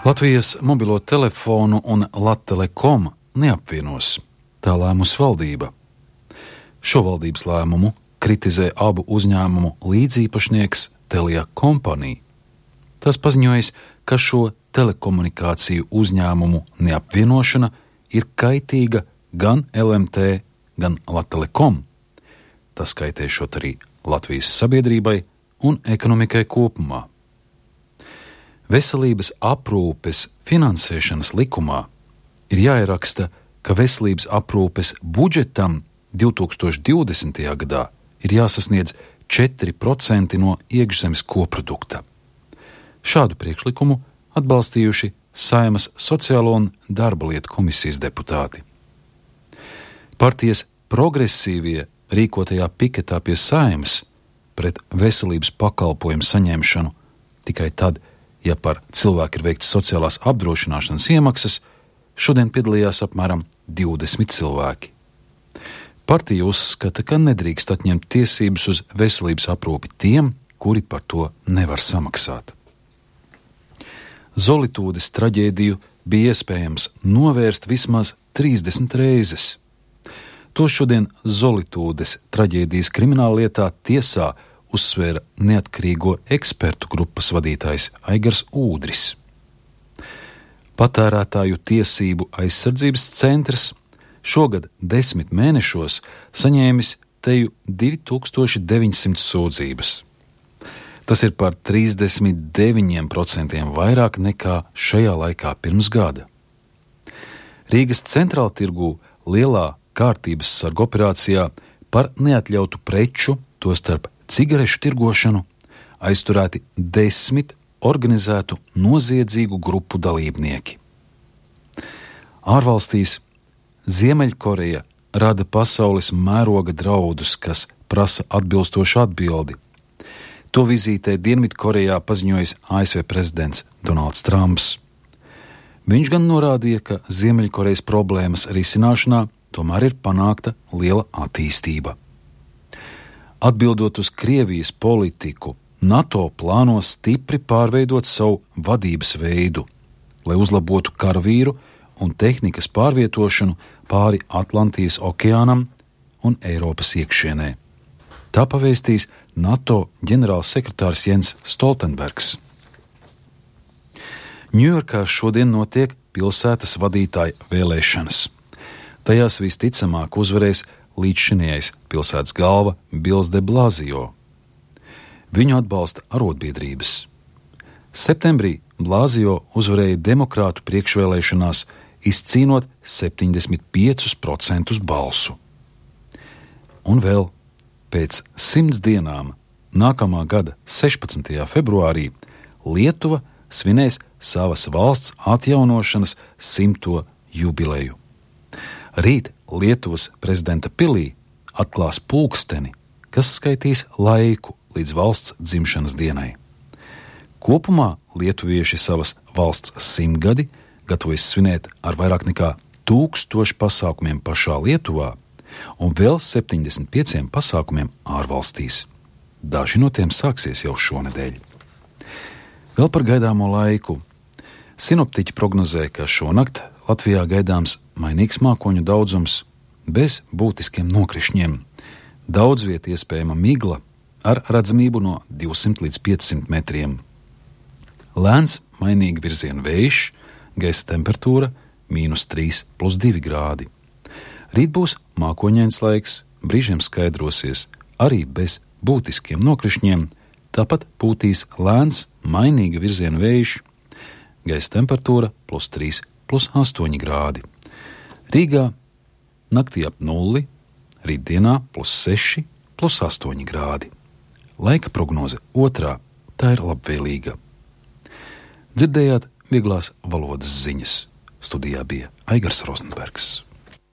Latvijas mobilo telefonu un Latelekom neapvienos. Tā lēmusi valdība. Šo valdības lēmumu kritizē abu uzņēmumu līdzīpašnieks Telia Company. Tas paziņojis, ka šo telekomunikāciju uzņēmumu neapvienošana ir kaitīga gan LMT, gan Latelekom. Tas kaitēšot arī Latvijas sabiedrībai un ekonomikai kopumā. Veselības aprūpes finansēšanas likumā ir jāieraksta, ka veselības aprūpes budžetam 2020. gadā ir jāsasniedz 4% no iekšzemes koprodukta. Šādu priekšlikumu atbalstījuši Saeimas Sociālo un darba lietu komisijas deputāti. Partijas progresīvie rīkotajā piketā pie Saeimas pret veselības pakalpojumu saņemšanu tikai tad, ja par cilvēku ir veikts sociālās apdrošināšanas iemaksas, šodien piedalījās apmēram 20 cilvēki. Partija uzskata, ka nedrīkst atņemt tiesības uz veselības aprūpi tiem, kuri par to nevar samaksāt. Zolitūdes traģēdiju bija iespējams novērst vismaz 30 reizes. To šodien Zolitūdes traģēdijas krimināllietā tiesā uzsvēra neatkarīgo ekspertu grupas vadītājs Aigars Ūdris. Patērētāju tiesību aizsardzības centrs šogad 10 mēnešos saņēmis teju 2900 sūdzības. Tas ir par 39% vairāk nekā šajā laikā pirms gada. Rīgas centrāltirgū lielā kārtības sargu operācijā par neatļautu preču, tostarp cigarešu tirgošanu, aizturēti 10 organizētu noziedzīgu grupu dalībnieki. Ārvalstīs Ziemeļkoreja rada pasaules mēroga draudus, kas prasa atbilstošu atbildi. To vizītē Dienvidkorejā paziņojis ASV prezidents Donalds Trumps. Viņš gan norādīja, ka Ziemeļkorejas problēmas risināšanā tomēr ir panākta liela attīstība. Atbildot uz Krievijas politiku, NATO plāno stipri pārveidot savu vadības veidu, lai uzlabotu karavīru un tehnikas pārvietošanu pāri Atlantijas okeānam un Eiropas iekšienē. Tā pavēstīs NATO ģenerālsekretārs Jens Stoltenbergs. Ņujorkā šodien notiek pilsētas vadītāja vēlēšanas. Tajās visticamāk uzvarēs līdzšinējais pilsētas galva Bils de Blasio. Viņu atbalsta arotbiedrības. Septembrī Blasio uzvarēja demokrātu priekšvēlēšanās, izcīnot 75% balsu. Un vēl pēc 100 dienām, nākamā gada 16. februārī, Lietuva svinēs savas valsts atjaunošanas 100. jubileju. Rīt Lietuvas prezidenta pilī atklās pulksteni, kas skaitīs laiku līdz valsts dzimšanas dienai. Kopumā lietuvieši savas valsts 100-gadi gatavojas svinēt ar vairāk nekā 1000 pasākumiem pašā Lietuvā un vēl 75 pasākumiem ārvalstīs. Daži no tiem sāksies jau šonedēļ. Vēl par gaidāmo laiku. Sinoptiķi prognozē, ka šonakt Latvijā gaidāms mainīgs mākoņu daudzums bez būtiskiem nokrišņiem. Daudz viet iespējama migla ar redzamību no 200 līdz 500 metriem. Lēns mainīgi virziena vējš, gaisa temperatūra -3+2 grādi. Rīt būs mākoņains laiks, brīžiem skaidrosies, arī bez būtiskiem nokrišņiem, tāpat pūtīs lēns mainīga virziena vējš, gaisa temperatūra +3+8 grādi. Rīgā naktī ap 0, rītdienā +6+8 grādi. Laika prognoze otrā, tā ir labvēlīga. Dzirdējāt vieglās valodas ziņas. Studijā bija Aigars Rozenbergs.